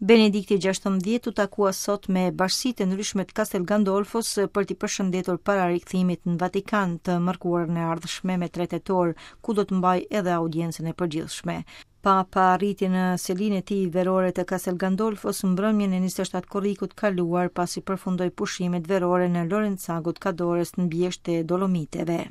Benedikti 16 u takua sot me bashkësitë e ndryshme të Castel Gandolfos për t'i përshëndetur para rikthimit në Vatikan të mërkurën e ardhshme me 3 tetor, ku do të mbajë edhe audiencën e përgjithshme. Papa arriti në selinë e tij verore të Castel Gandolfos mbrëmjen e 27 korrikut kaluar pasi përfundoi pushimet verore në Lorenzago të Cadores në bjeshkët e Dolomiteve.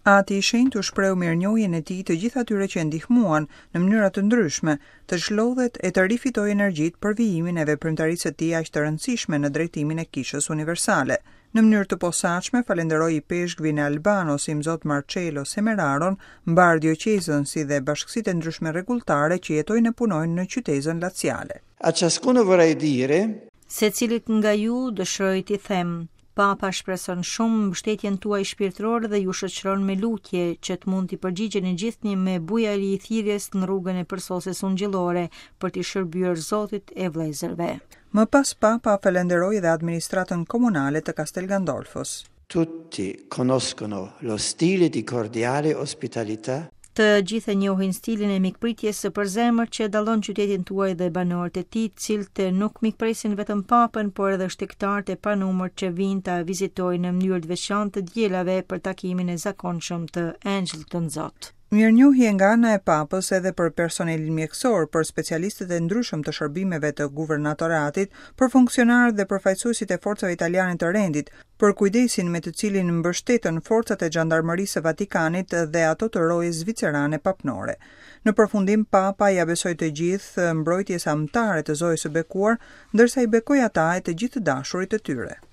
Ati i Shenjtë u shprehu mirënjohjen e tij të gjithë atyre që e ndihmuan, në mënyra të ndryshme, të çlodhet e të rifitojë energjitë për vijimin e veprimtarisë së tij aq të rëndësishme në drejtimin e Kishës Universale. Në mënyrë të posaçme falënderoi ipeshkvin e Albanos, Imzot Marcello Semeraron, mbarë dioqezën si dhe bashkësitë e ndryshme rregulltare që jetojnë e punojnë në qytezën laciale. A ciascuno vorrei dire. Secilit nga ju dëshiroj t'i them, Papa shpreson shumë mbështetjen tuaj shpirtërore dhe ju shoqëron me lutje që të mund t'i përgjigjeni gjithnjë me bujari thirrjes në rrugën e përsosjes ungjillore për t'i shërbyer Zotit e vëllezërve. Më pas Papa falënderoi edhe administratën komunale të Castel Gandolfos. Tutti conoscono lo stile di cordiale ospitalità. Të gjithë e njohin stilin e mikpritjes së përzemërt që e dallon qytetin tuaj dhe banorët e tij, të cilët nuk mikpresin vetëm Papën, por edhe shtegtarët e panumërt që vijnë ta vizitojnë në mënyrë të veçantë të dielave për takimin e zakonshëm të Engjëllit Tënzot. Mirënjohje nga ana e Papës edhe për personelin mjekësor, për specialistët e ndryshëm të shërbimeve të guvernatoratit, për funksionarët dhe përfaqësuesit e forcave italiane të rendit, për kujdesin me të cilin mbështetën forcat e xhandarmërisë së Vatikanit dhe ato të rojes zvicerane papnore. Në përfundim Papa ia besoi të gjithë mbrojtjes amtare të Zojës së Bekuar, ndërsa i bekoi ata e të gjithë të dashurit e tyre.